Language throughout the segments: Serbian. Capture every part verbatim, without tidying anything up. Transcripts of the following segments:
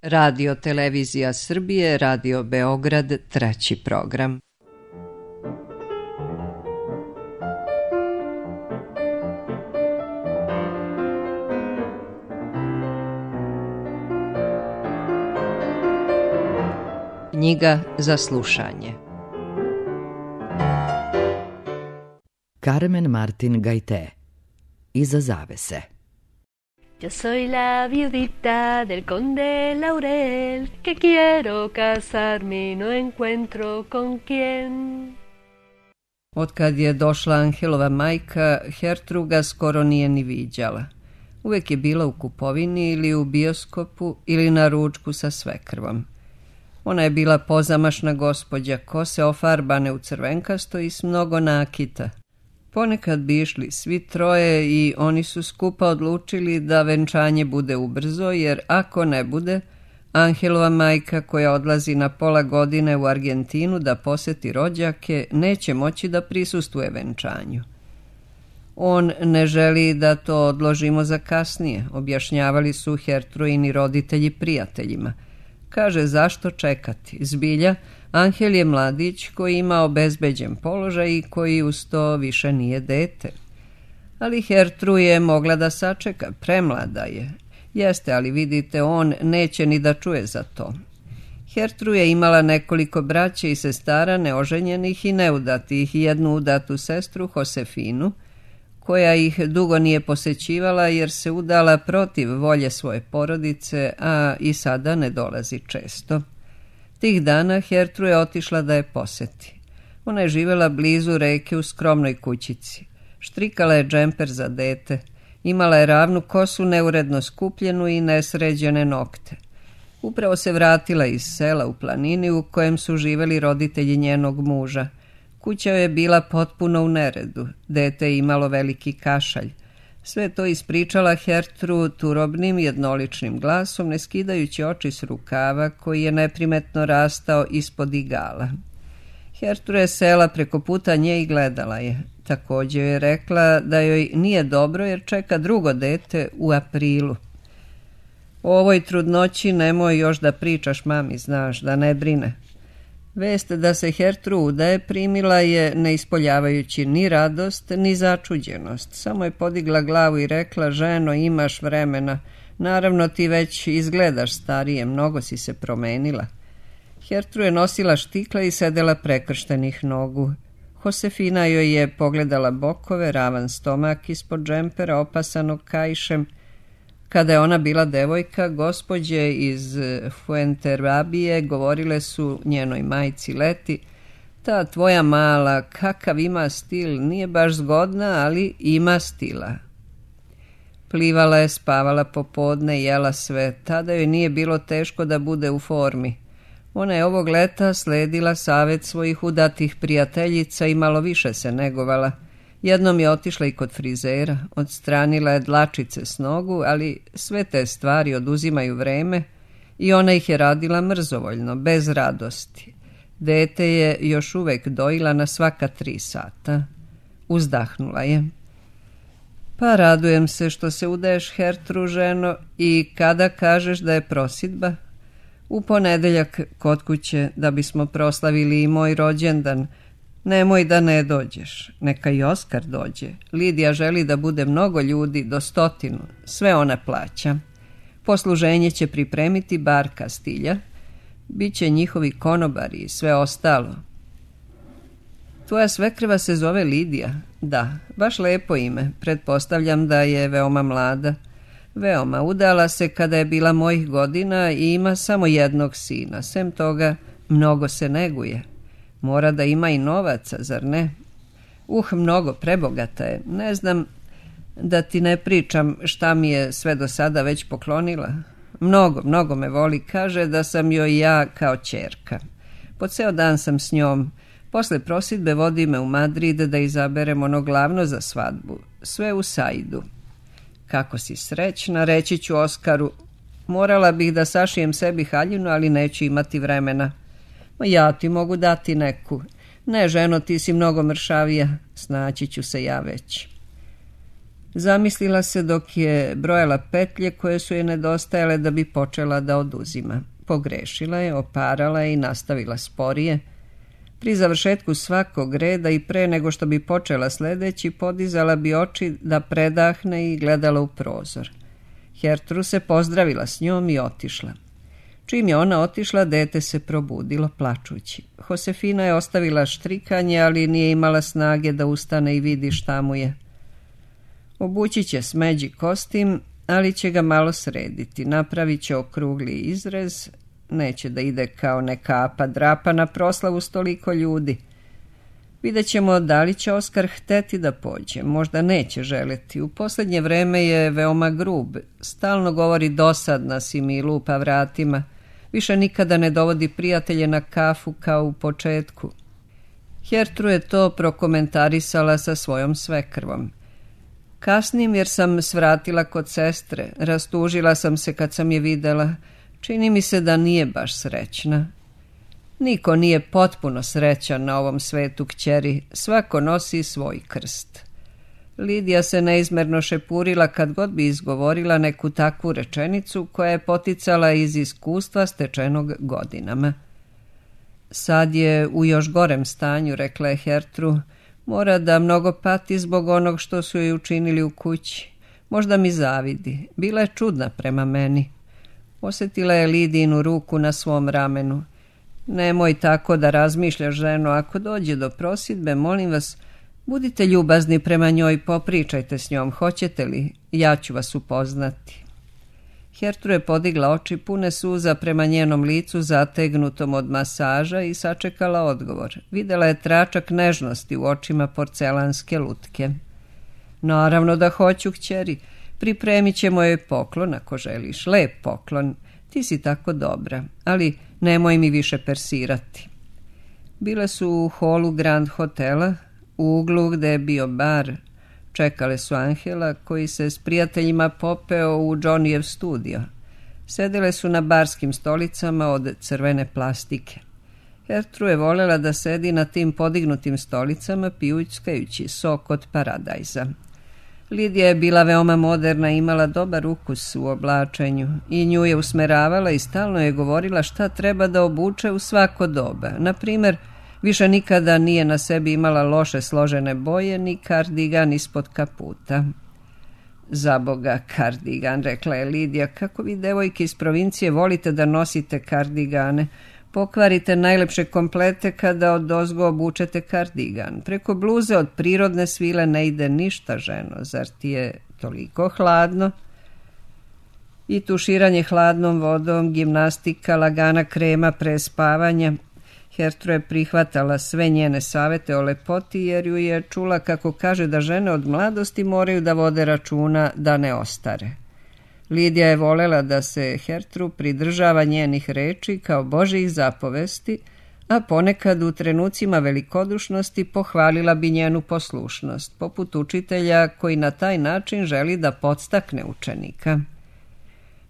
Radio Televizija Srbije, Radio Beograd, treći program. Knjiga za slušanje. Carmen Martin Gaité. Iza zavese. Yo soy la viudita del conde Laurel, que quiero casarme y no encuentro con quién. Otkad je došla Anhelova majka, Hertruga skoro nije ni viđala. Uvijek je bila u kupovini ili u bioskopu ili na ručku sa svekrvom. Ona je bila pozamašna gospođa, kose ofarbane u crvenkasto i s mnogo nakita. Ponekad bi išli svi troje i oni su skupa odlučili da venčanje bude ubrzo, jer ako ne bude, Anhelova majka koja odlazi na pola godine u Argentinu da poseti rođake, neće moći da prisustvuje venčanju. On ne želi da to odložimo za kasnije, objašnjavali su Hertruini roditelji prijateljima. Kaže, zašto čekati? Zbilja, Anhel je mladić koji ima obezbeđen položaj i koji uz to više nije dete. Ali Hertru je mogla da sačeka, premlada je. Jeste, ali vidite, on neće ni da čuje za to. Hertru je imala nekoliko braće i sestara neoženjenih i neudatih i jednu udatu sestru, Josefinu, koja ih dugo nije posećivala jer se udala protiv volje svoje porodice, a i sada ne dolazi često. Tih dana Hertru je otišla da je poseti. Ona je živjela blizu reke u skromnoj kućici. Štrikala je džemper za dete. Imala je ravnu kosu, neuredno skupljenu i nesređene nokte. Upravo se vratila iz sela u planini u kojem su živjeli roditelji njenog muža. Kuća je bila potpuno u neredu. Dete je imalo veliki kašalj. Sve to ispričala Hertru turobnim jednoličnim glasom, ne skidajući oči s rukava koji je neprimetno rastao ispod igala. Hertru je sela preko puta nje i gledala je. Također je rekla da joj nije dobro jer čeka drugo dete u aprilu. O ovoj trudnoći nemoj još da pričaš mami, znaš, da ne brine. Vest da se Hertru udaje primila je ne ispoljavajući ni radost ni začuđenost. Samo je podigla glavu i rekla, ženo, imaš vremena. Naravno ti već izgledaš starije, mnogo si se promenila. Hertru je nosila štikla i sedela prekrštenih nogu. Josefina joj je pogledala bokove, ravan stomak ispod džempera opasanog kaišem. Kada je ona bila devojka, gospođe iz Fuenterrabije govorile su njenoj majci Leti, ta tvoja mala, kakav ima stil, nije baš zgodna, ali ima stila. Plivala je, spavala popodne, jela sve, tada joj nije bilo teško da bude u formi. Ona je ovog leta sledila savjet svojih udatih prijateljica i malo više se negovala. Jednom je otišla i kod frizera, odstranila je dlačice s nogu, ali sve te stvari oduzimaju vreme i ona ih je radila mrzovoljno, bez radosti. Dete je još uvek dojila na svaka tri sata. Uzdahnula je. Pa radujem se što se udaješ, Hertru, ženo, i kada kažeš da je prosidba? U ponedeljak kod kuće, da bismo proslavili i moj rođendan. Nemoj da ne dođeš, neka i Oskar dođe. Lidija želi da bude mnogo ljudi, do stotinu, sve ona plaća. Posluženje će pripremiti bar Kastilja, bit će njihovi konobari i sve ostalo. Tvoja svekrva se zove Lidija? Da, baš lepo ime, pretpostavljam da je veoma mlada. Veoma, udala se kada je bila mojih godina i ima samo jednog sina, sem toga mnogo se neguje. Mora da ima i novaca, zar ne? Uh, mnogo, prebogata je. Ne znam da ti ne pričam šta mi je sve do sada već poklonila. Mnogo, mnogo me voli. Kaže da sam joj ja kao ćerka. Po ceo dan sam s njom. Posle prosidbe vodi me u Madrid da izaberem ono glavno za svadbu. Sve u Saidu. Kako si srećna, reći ću Oskaru. Morala bih da sašijem sebi haljinu, ali neću imati vremena. Ma ja ti mogu dati neku. Ne, ženo, ti si mnogo mršavija. Snaći ću se ja već. Zamislila se dok je brojala petlje koje su je nedostajale da bi počela da oduzima. Pogrešila je, oparala je i nastavila sporije. Pri završetku svakog reda i pre nego što bi počela sledeći, podizala bi oči da predahne i gledala u prozor. Gertrud se pozdravila s njom i otišla. Čim je ona otišla, dete se probudilo plačući. Josefina je ostavila štrikanje, ali nije imala snage da ustane i vidi šta mu je. Obući će smeđi kostim, ali će ga malo srediti. Napravit će okrugli izrez. Neće da ide kao neka apa drapa na proslavu s toliko ljudi. Vidjet ćemo da li će Oskar hteti da pođe. Možda neće želeti. U posljednje vreme je veoma grub. Stalno govori dosadna si mi i lupa vratima. Više nikada ne dovodi prijatelje na kafu kao u početku. Gertrud je to prokomentarisala sa svojom svekrvom. Kasnim jer sam svratila kod sestre. Rastužila sam se kad sam je videla. Čini mi se da nije baš srećna. Niko nije potpuno srećan na ovom svetu, kćeri. Svako nosi svoj krst. Lidija se neizmerno šepurila kad god bi izgovorila neku takvu rečenicu koja je poticala iz iskustva stečenog godinama. Sad je u još gorem stanju, rekla je Gertrud. Mora da mnogo pati zbog onog što su joj učinili u kući. Možda mi zavidi. Bila je čudna prema meni. Osjetila je Lidijinu ruku na svom ramenu. Nemoj tako da razmišljaš, ženo. Ako dođe do prosidbe, molim vas, budite ljubazni prema njoj, popričajte s njom. Hoćete li? Ja ću vas upoznati. Gertrud je podigla oči pune suza prema njenom licu zategnutom od masaža i sačekala odgovor. Videla je tračak nežnosti u očima porcelanske lutke. Naravno da hoću, kćeri. Pripremit ćemo joj poklon ako želiš. Lep poklon. Ti si tako dobra, ali nemoj mi više persirati. Bile su u holu Grand Hotela, u uglu gde je bio bar. Čekale su Angela, koji se s prijateljima popeo u Johnnyjev studio. Sedele su na barskim stolicama od crvene plastike. Gertrud je voljela da sedi na tim podignutim stolicama pijućkajući sok od paradajza. Lidija je bila veoma moderna i imala dobar ukus u oblačenju i nju je usmeravala i stalno je govorila šta treba da obuče u svako doba. Na primjer, više nikada nije na sebi imala loše složene boje ni kardigan ispod kaputa. Za Boga, kardigan, rekla je Lidija, kako vi devojke iz provincije volite da nosite kardigane. Pokvarite najlepše komplete kada odozgo obučete kardigan. Preko bluze od prirodne svile ne ide ništa, ženo. Zar ti je toliko hladno? I tuširanje hladnom vodom, gimnastika, lagana krema pre spavanja. Gertrud je prihvatala sve njene savete o lepoti jer ju je čula kako kaže da žene od mladosti moraju da vode računa da ne ostare. Lidija je volela da se Gertrud pridržava njenih reči kao Božjih zapovesti, a ponekad u trenucima velikodušnosti pohvalila bi njenu poslušnost, poput učitelja koji na taj način želi da podstakne učenika.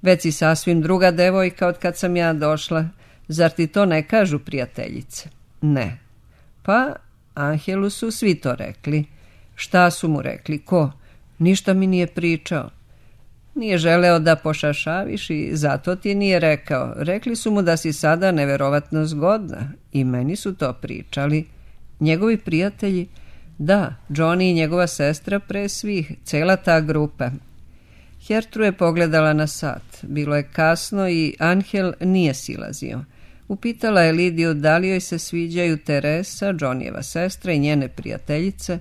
Već si sasvim druga devojka od kad sam ja došla. Zar ti to ne kažu prijateljice? Ne. Pa, Angelu su svi to rekli. Šta su mu rekli? Ko? Ništa mi nije pričao. Nije želeo da pošašaviš i zato ti nije rekao. Rekli su mu da si sada neverovatno zgodna i meni su to pričali. Njegovi prijatelji? Da, Johnny i njegova sestra pre svih, cela ta grupa. Gertrud je pogledala na sat. Bilo je kasno i Angel nije silazio. Upitala je Lidiju da li joj se sviđaju Teresa, Johnnyjeva sestra i njene prijateljice.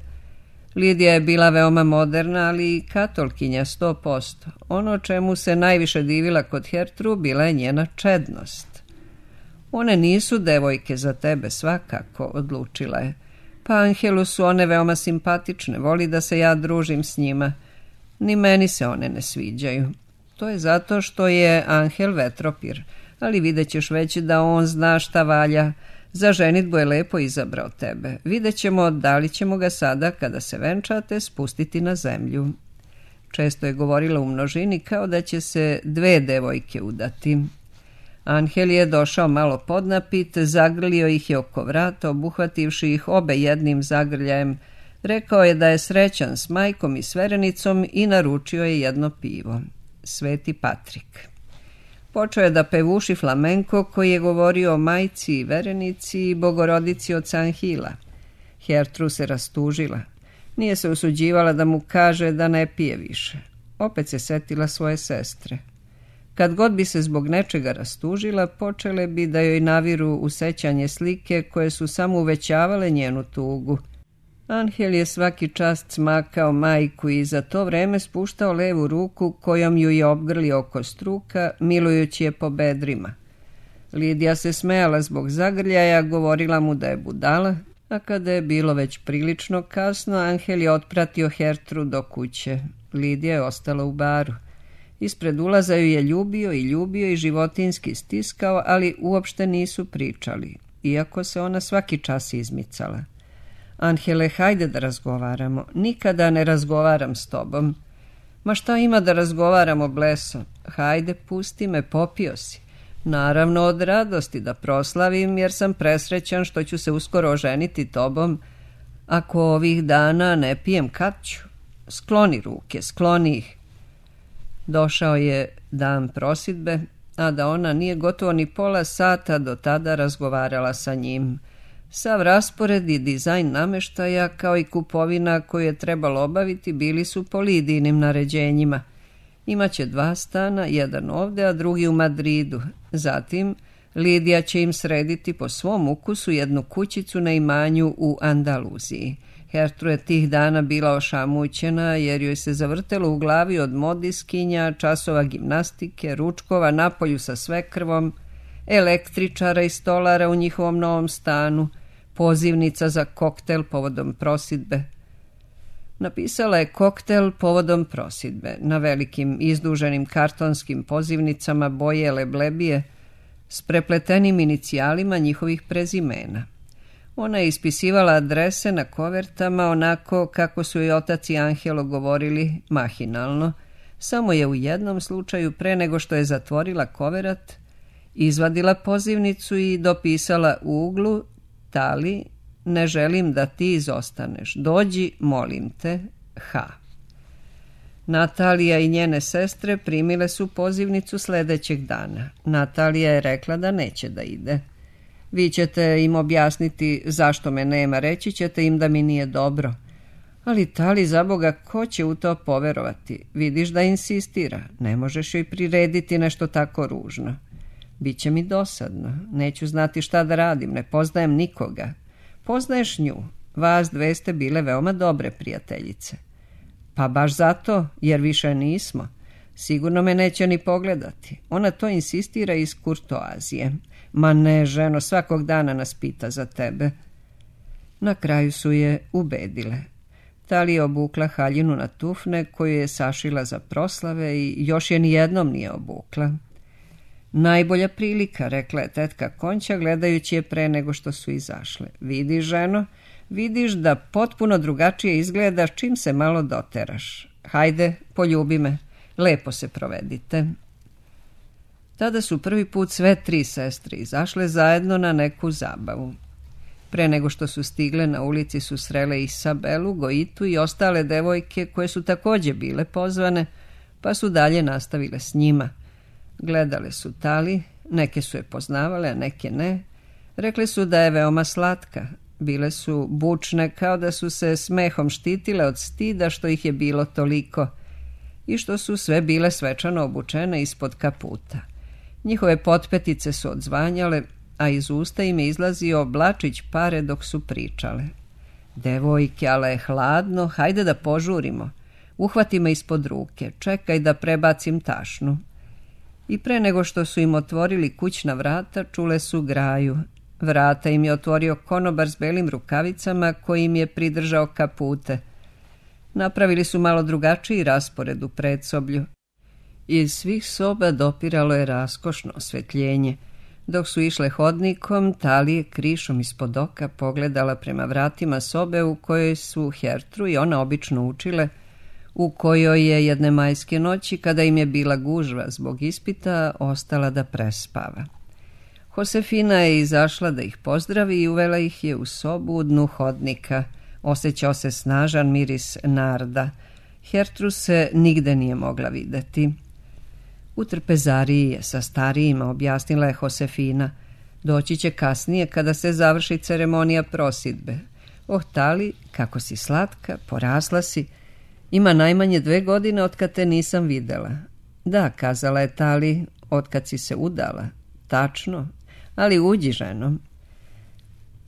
Lidija je bila veoma moderna, ali i katolkinja sto posto. Ono čemu se najviše divila kod Gertrud bila je njena čednost. One nisu devojke za tebe, svakako, odlučila je. Pa Angelu su one veoma simpatične, voli da se ja družim s njima. Ni meni se one ne sviđaju. To je zato što je Angel vetropir, ali vidjet ćeš već da on zna šta valja. Za ženidbu je lepo izabrao tebe. Vidjet ćemo da li ćemo ga sada, kada se venčate, spustiti na zemlju. Često je govorila u množini kao da će se dve devojke udati. Angel je došao malo podnapit, zagrlio ih je oko vrata, obuhvativši ih obe jednim zagrljajem. Rekao je da je srećan s majkom i s verenicom i naručio je jedno pivo. Sveti Patrik. Počeo je da pevuši flamenko koji je govorio o majci i verenici i bogorodici od San Hila. Hertru se rastužila. Nije se usuđivala da mu kaže da ne pije više. Opet se setila svoje sestre. Kad god bi se zbog nečega rastužila, počele bi da joj naviru u sećanje slike koje su samo uvećavale njenu tugu. Angel je svaki čas cmakao majku i za to vreme spuštao levu ruku kojom ju je obgrlio oko struka, milujući je po bedrima. Lidija se smejala zbog zagrljaja, govorila mu da je budala, a kada je bilo već prilično kasno, Angel je otpratio Hertru do kuće. Lidija je ostala u baru. Ispred ulaza ju je ljubio i ljubio i životinski stiskao, ali uopšte nisu pričali, iako se ona svaki čas izmicala. Angele, hajde da razgovaramo. Nikada ne razgovaram s tobom. Ma šta ima da razgovaramo, bleso? Hajde, pusti me, popio si. Naravno od radosti da proslavim, jer sam presrećan što ću se uskoro oženiti tobom. Ako ovih dana ne pijem, kad ću? Skloni ruke, skloni ih. Došao je dan prosidbe, a da ona nije gotovo ni pola sata do tada razgovarala sa njim. Sav raspored i dizajn nameštaja, kao i kupovina koju je trebalo obaviti, bili su po Lidijinim naređenjima. Imaće dva stana, jedan ovde, a drugi u Madridu. Zatim, Lidija će im srediti po svom ukusu jednu kućicu na imanju u Andaluziji. Hertru je tih dana bila ošamućena, jer joj se zavrtelo u glavi od modiskinja, časova gimnastike, ručkova napolju sa svekrvom, električara i stolara u njihovom novom stanu, pozivnica za koktel povodom prosidbe. Napisala je koktel povodom prosidbe na velikim izduženim kartonskim pozivnicama boje leblebije s prepletenim inicijalima njihovih prezimena. Ona je ispisivala adrese na kovertama onako kako su joj otac i Angelo govorili, mahinalno. Samo je u jednom slučaju, pre nego što je zatvorila koverat, izvadila pozivnicu i dopisala u uglu: Tali, ne želim da ti izostaneš. Dođi, molim te, H. Natalija i njene sestre primile su pozivnicu sljedećeg dana. Natalija je rekla da neće da ide. Vi ćete im objasniti zašto me nema, reći ćete im da mi nije dobro. Ali Tali, za Boga, ko će u to poverovati? Vidiš da insistira, ne možeš joj prirediti nešto tako ružno. Biće mi dosadno, neću znati šta da radim, ne poznajem nikoga. Poznaješ nju, vas dve ste bile veoma dobre prijateljice. Pa baš zato, jer više nismo. Sigurno me neće ni pogledati. Ona to insistira iz kurtoazije. Ma ne, ženo, svakog dana nas pita za tebe. Na kraju su je ubedile. Tali je obukla haljinu na tufne koju je sašila za proslave i još je nijednom nije obukla. Najbolja prilika, rekla je tetka Konća gledajući je pre nego što su izašle. Vidiš, ženo, vidiš da potpuno drugačije izgledaš čim se malo doteraš. Hajde, poljubi me, lepo se provedite. Tada su prvi put sve tri sestre izašle zajedno na neku zabavu. Pre nego što su stigle, na ulici su srele Isabelu, Goitu i ostale devojke koje su također bile pozvane, pa su dalje nastavile s njima. Gledale su Tali, neke su je poznavale, a neke ne. Rekle su da je veoma slatka. Bile su bučne, kao da su se smehom štitile od stida što ih je bilo toliko i što su sve bile svečano obučene ispod kaputa. Njihove potpetice su odzvanjale, a iz usta im je izlazio blačić pare dok su pričale. Devojke, ale je hladno, hajde da požurimo. Uhvati me ispod ruke, čekaj da prebacim tašnu. I pre nego što su im otvorili kućna vrata, čule su graju. Vrata im je otvorio konobar s belim rukavicama koji im je pridržao kapute. Napravili su malo drugačiji raspored u predsoblju. Iz svih soba dopiralo je raskošno osvetljenje. Dok su išle hodnikom, Tali je krišom ispod oka pogledala prema vratima sobe u kojoj su Hertru i ona obično učile, u kojoj je jedne majske noći, kada im je bila gužva zbog ispita, ostala da prespava. Josefina je izašla da ih pozdravi i uvela ih je u sobu u dnu hodnika, Osjećao se snažan miris narda. Hertrus se nigde nije mogla videti. U trpezariji je sa starijima, objasnila je Josefina. Doći će kasnije kada se završi ceremonija prosidbe. Oh, Tali, kako si slatka, porasla si. Ima najmanje dve godine otkad te nisam videla. Da, kazala je Tali, otkad si se udala. Tačno, ali uđi, ženo.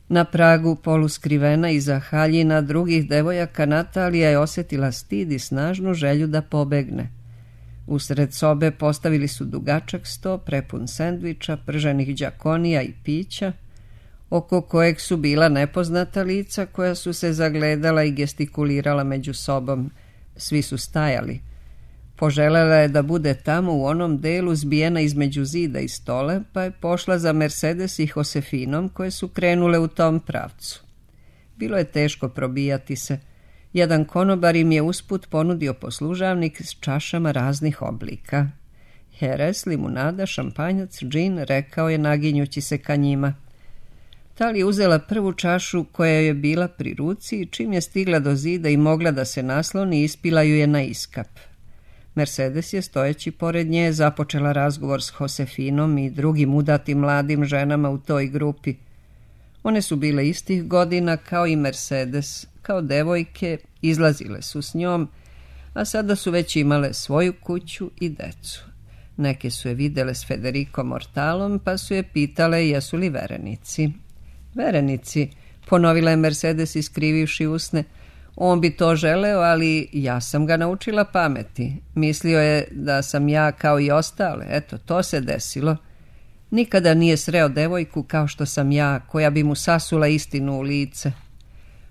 Na pragu, poluskrivena iza haljina drugih devojaka, Natalija je osjetila stid i snažnu želju da pobegne. Usred sobe postavili su dugačak sto prepun sendviča, prženih đakonija i pića, oko kojeg su bila nepoznata lica koja su se zagledala i gestikulirala među sobom. Svi su stajali. Poželjela je da bude tamo u onom delu zbijena između zida i stola, pa je pošla za Mercedes i Josefinom koje su krenule u tom pravcu. Bilo je teško probijati se. Jedan konobar im je usput ponudio poslužavnik s čašama raznih oblika. Heres, limunada, šampanjac, džin, rekao je naginjući se ka njima. Tali je uzela prvu čašu koja je bila pri ruci i čim je stigla do zida i mogla da se nasloni, ispila ju je na iskap. Mercedes je, stojeći pored nje, započela razgovor s Josefinom i drugim udatim mladim ženama u toj grupi. One su bile istih godina kao i Mercedes, kao devojke, izlazile su s njom, a sada su već imale svoju kuću i decu. Neke su je videle s Federico Mortalom, pa su je pitale jesu li verenici. Verenici, ponovila je Mercedes iskrivivši usne. On bi to želeo, ali ja sam ga naučila pameti. Mislio je da sam ja kao i ostale. Eto, to se desilo. Nikada nije sreo devojku kao što sam ja, koja bi mu sasula istinu u lice.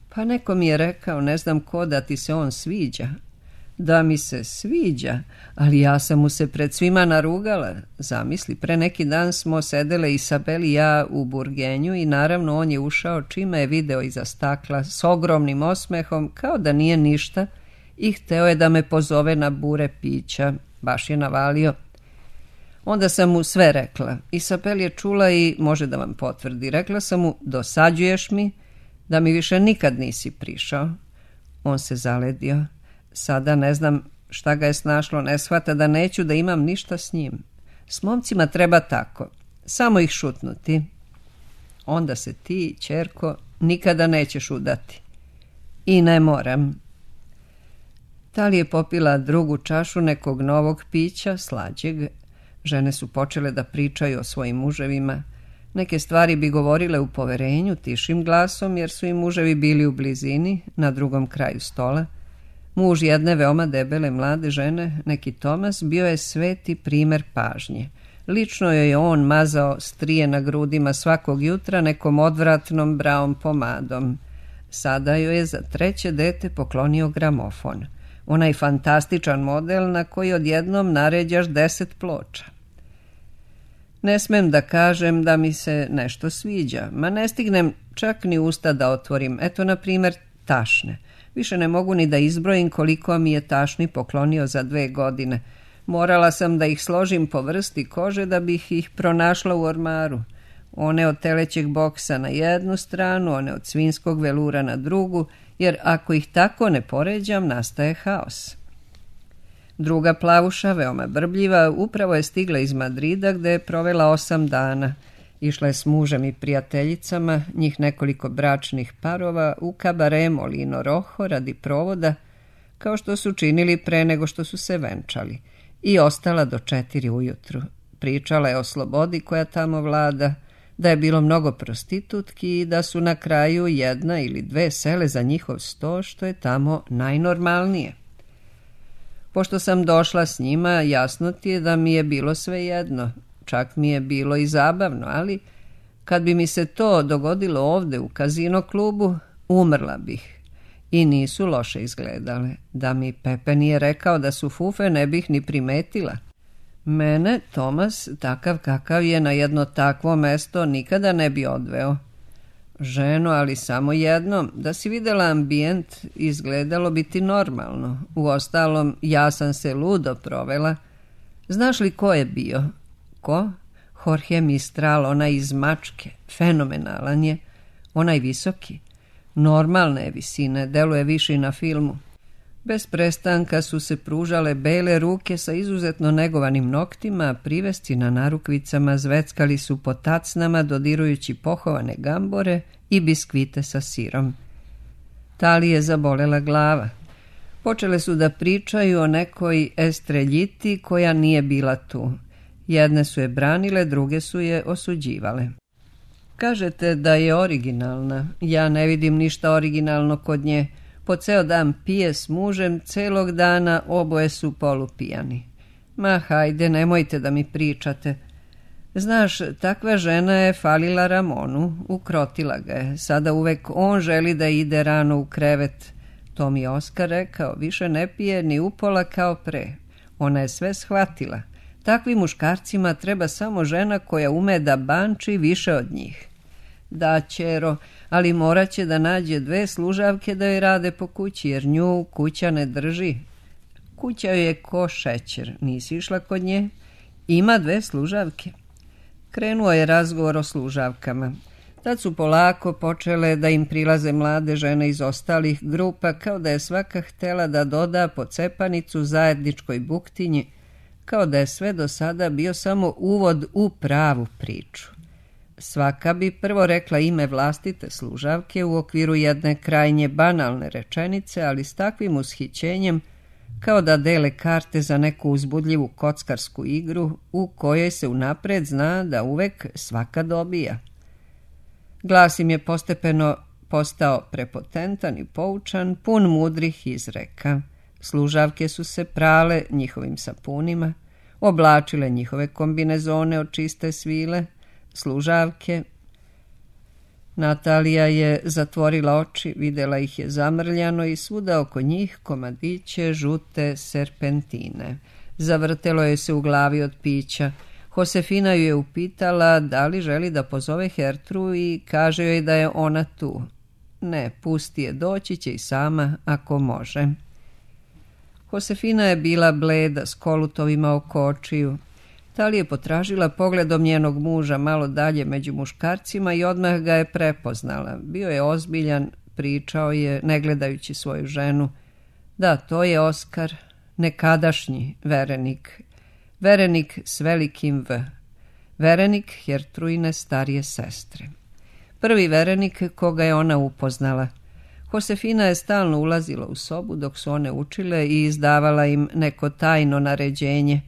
Pa neko mi je rekao, ne znam ko, da ti se on sviđa. Da mi se sviđa, ali ja sam mu se pred svima narugala. Zamisli, pre neki dan smo sedele Isabel i ja u burgenju i naravno on je ušao čime je video iza stakla s ogromnim osmehom kao da nije ništa i hteo je da me pozove na bure pića. Baš je navalio. Onda sam mu sve rekla. Isabel je čula i može da vam potvrdi. Rekla sam mu, dosađuješ mi, da mi više nikad nisi prišao. On se zaledio. Sada ne znam šta ga je snašlo, ne shvata da neću da imam ništa s njim. S momcima treba tako, samo ih šutnuti. Onda se ti, ćerko, nikada nećeš udati. I ne moram. Tali je popila drugu čašu nekog novog pića, slađeg. Žene su počele da pričaju o svojim muževima. Neke stvari bi govorile u poverenju, tišim glasom, jer su im muževi bili u blizini, na drugom kraju stola. Muž jedne veoma debele mlade žene, neki Tomas, bio je sveti primer pažnje. Lično joj je on mazao strije na grudima svakog jutra nekom odvratnom braom pomadom. Sada joj je za treće dete poklonio gramofon. Onaj fantastičan model na koji odjednom naređaš deset ploča. Ne smem da kažem da mi se nešto sviđa, ma ne stignem čak ni usta da otvorim. Eto, na primjer, tašne. Više ne mogu ni da izbrojim koliko mi je tašni poklonio za dve godine. Morala sam da ih složim po vrsti kože da bih ih pronašla u ormaru. One od telećeg boksa na jednu stranu, one od svinskog velura na drugu, jer ako ih tako ne poređam, nastaje haos. Druga plavuša, veoma brbljiva, upravo je stigla iz Madrida gde je provela osam dana. Išla je s mužem i prijateljicama, njih nekoliko bračnih parova, u kabare Molino Rojo radi provoda, kao što su činili pre nego što su se venčali, i ostala do četiri ujutru. Pričala je o slobodi koja tamo vlada, da je bilo mnogo prostitutki i da su na kraju jedna ili dve sele za njihov sto, što je tamo najnormalnije. Pošto sam došla s njima, jasno ti je da mi je bilo sve jedno. Čak mi je bilo i zabavno, ali kad bi mi se to dogodilo ovde u kazino klubu, umrla bih. I nisu loše izgledale. Da mi Pepe nije rekao da su fufe, ne bih ni primetila. Mene, Tomas, takav kakav je, na jedno takvo mesto nikada ne bi odveo. Ženo, ali samo jednom. Da si videla ambijent, izgledalo bi ti normalno. Uostalom, ja sam se ludo provela. Znaš li ko je bio? Ko? Jorge Mistral, onaj iz Mačke. Fenomenalan je. Onaj visoki. Normalne je visine, deluje više na filmu. Bez prestanka su se pružale bele ruke sa izuzetno negovanim noktima, privesti na narukvicama zveckali su po tacnama dodirujući pohovane gambore i biskvite sa sirom. Tali je zabolela glava. Počele su da pričaju o nekoj estreljiti koja nije bila tu. Jedne su je branile, druge su je osuđivale. Kažete da je originalna. Ja ne vidim ništa originalno kod nje. Po ceo dan pije s mužem, celog dana oboje su polupijani. Ma hajde, nemojte da mi pričate. Znaš, takva žena je falila Ramonu, ukrotila ga je. Sada uvek on želi da ide rano u krevet. To mi je Oskar rekao, više ne pije ni upola kao pre. Ona je sve shvatila. Takvim muškarcima treba samo žena koja ume da banči više od njih. Da, ćero, ali morat će da nađe dve služavke da joj rade po kući, jer nju kuća ne drži. Kuća joj je ko šećer, nisi išla kod nje? Ima dve služavke. Krenuo je razgovor o služavkama. Tad su polako počele da im prilaze mlade žene iz ostalih grupa, kao da je svaka htela da doda po cepanicu zajedničkoj buktinji, kao da je sve do sada bio samo uvod u pravu priču. Svaka bi prvo rekla ime vlastite služavke u okviru jedne krajnje banalne rečenice, ali s takvim ushićenjem kao da dele karte za neku uzbudljivu kockarsku igru u kojoj se unapred zna da uvek svaka dobija. Glas im je postepeno postao prepotentan i poučan, pun mudrih izreka. Služavke su se prale njihovim sapunima, oblačile njihove kombinezone od čiste svile. Služavke. Natalija je zatvorila oči, videla ih je zamrljano i svuda oko njih komadiće žute serpentine. Zavrtelo je se u glavi od pića. Josefina ju je upitala da li želi da pozove Hertru i kaže joj da je ona tu. Ne, pusti je, doći će i sama ako može. Josefina je bila bleda s kolutovima oko očiju. Tali je potražila pogledom njenog muža malo dalje među muškarcima i odmah ga je prepoznala. Bio je ozbiljan, pričao je, ne gledajući svoju ženu. Da, to je Oskar, nekadašnji verenik. Verenik s velikim V. Verenik Hertruine starije sestre. Prvi verenik koga je ona upoznala. Josefina je stalno ulazila u sobu dok su one učile i izdavala im neko tajno naređenje.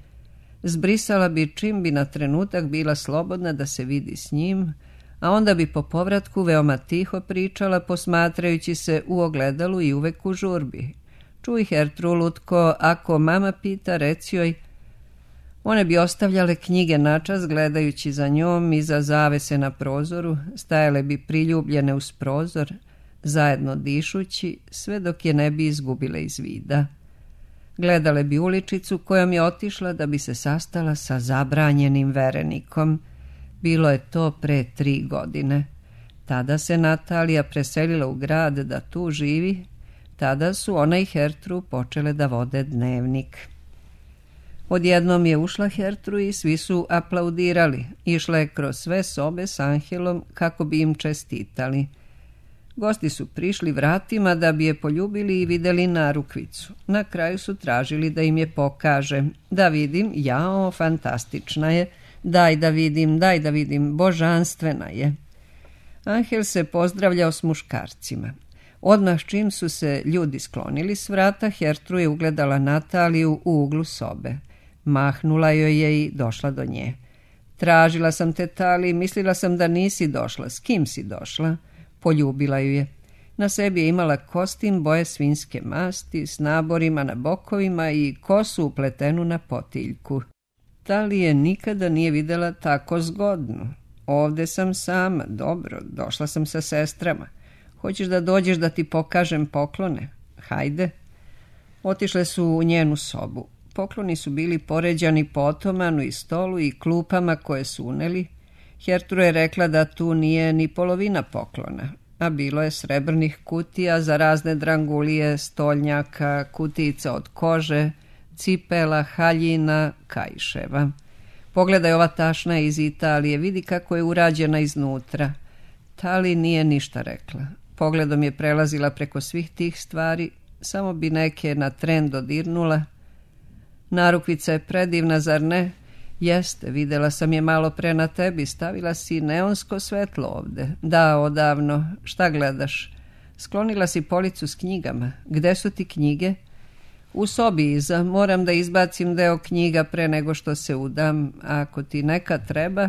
Zbrisala bi čim bi na trenutak bila slobodna da se vidi s njim, a onda bi po povratku veoma tiho pričala posmatrajući se u ogledalu i uvek u žurbi. Čuj, Hertru, lutko, ako mama pita, reci joj. One bi ostavljale knjige načas gledajući za njom i za zavese na prozoru, stajale bi priljubljene uz prozor, zajedno dišući, sve dok je ne bi izgubile iz vida. Gledale bi uličicu kojom je otišla da bi se sastala sa zabranjenim verenikom. Bilo je to pre tri godine. Tada se Natalija preselila u grad da tu živi. Tada su ona i Hertru počele da vode dnevnik. Odjednom je ušla Hertru i svi su aplaudirali. Išla je kroz sve sobe s Angelom kako bi im čestitali. Gosti su prišli vratima da bi je poljubili i videli narukvicu. Na kraju su tražili da im je pokaže. Da vidim, jao, fantastična je. Daj da vidim, daj da vidim, božanstvena je. Angel se pozdravljao s muškarcima. Odmah čim su se ljudi sklonili s vrata, Hertru je ugledala Nataliju u uglu sobe. Mahnula joj je i došla do nje. Tražila sam te, Tali, mislila sam da nisi došla. S kim si došla? Poljubila ju je. Na sebi je imala kostim boje svinjske masti s naborima na bokovima i kosu upletenu na potiljku. Tali je nikada nije videla tako zgodnu. Ovde sam sama, dobro, došla sam sa sestrama. Hoćeš da dođeš da ti pokažem poklone? Hajde. Otišle su u njenu sobu. Pokloni su bili poređani po otomanu i stolu i klupama koje su uneli. Hertru je rekla da tu nije ni polovina poklona, a bilo je srebrnih kutija za razne drangulije, stolnjaka, kutijica od kože, cipela, haljina, kaiševa. Pogledaj, ova tašna je iz Italije, vidi kako je urađena iznutra. Tali nije ništa rekla. Pogledom je prelazila preko svih tih stvari, samo bi neke na tren dodirnula. Narukvica je predivna, zar ne? Jeste, videla sam je malo pre na tebi, stavila si neonsko svetlo ovde. Da, odavno. Šta gledaš? Sklonila si policu s knjigama. Gde su ti knjige? U sobi iza. Moram da izbacim deo knjiga pre nego što se udam. A ako ti neka treba...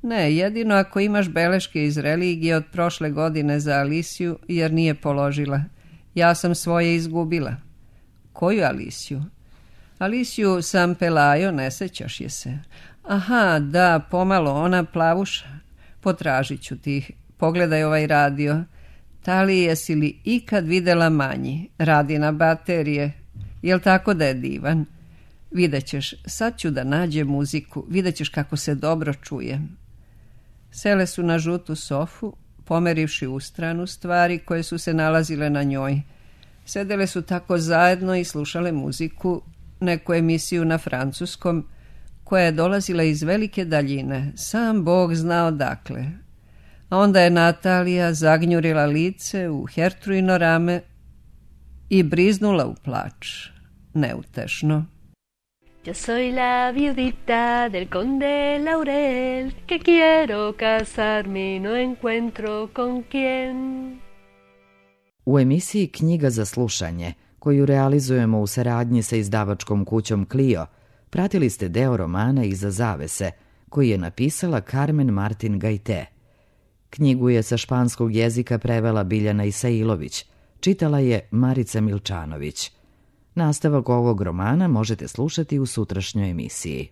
Ne, jedino ako imaš beleške iz religije od prošle godine za Alisiju, jer nije položila. Ja sam svoje izgubila. Koju Alisiju? Alisiju sam Pelajo, ne sećaš je se. Aha, da, pomalo, ona plavuša. Potražit ću ti. Pogledaj ovaj radio. Tali, jesi li ikad videla manji? Radi na baterije. Jel tako da je divan? Videćeš, sad ću da nađem muziku. Videćeš kako se dobro čuje. Sele su na žutu sofu, pomerivši u stranu stvari koje su se nalazile na njoj. Sedele su tako zajedno i slušale muziku, neku emisiju na francuskom, koja je dolazila iz velike daljine, sam Bog zna odakle. A onda je Natalija zagnjurila lice u Hertruino rame i briznula u plač, neutešno. Yo soy la viudita del conde Laurel, que quiero casarme y no encuentro con quién. U emisiji Knjiga za slušanje, koju realizujemo u saradnji sa izdavačkom kućom Clio, pratili ste deo romana Iza zavese, koji je napisala Carmen Martin Gajte. Knjigu je sa španskog jezika prevela Biljana Isailović, čitala je Marica Milčanović. Nastavak ovog romana možete slušati u sutrašnjoj emisiji.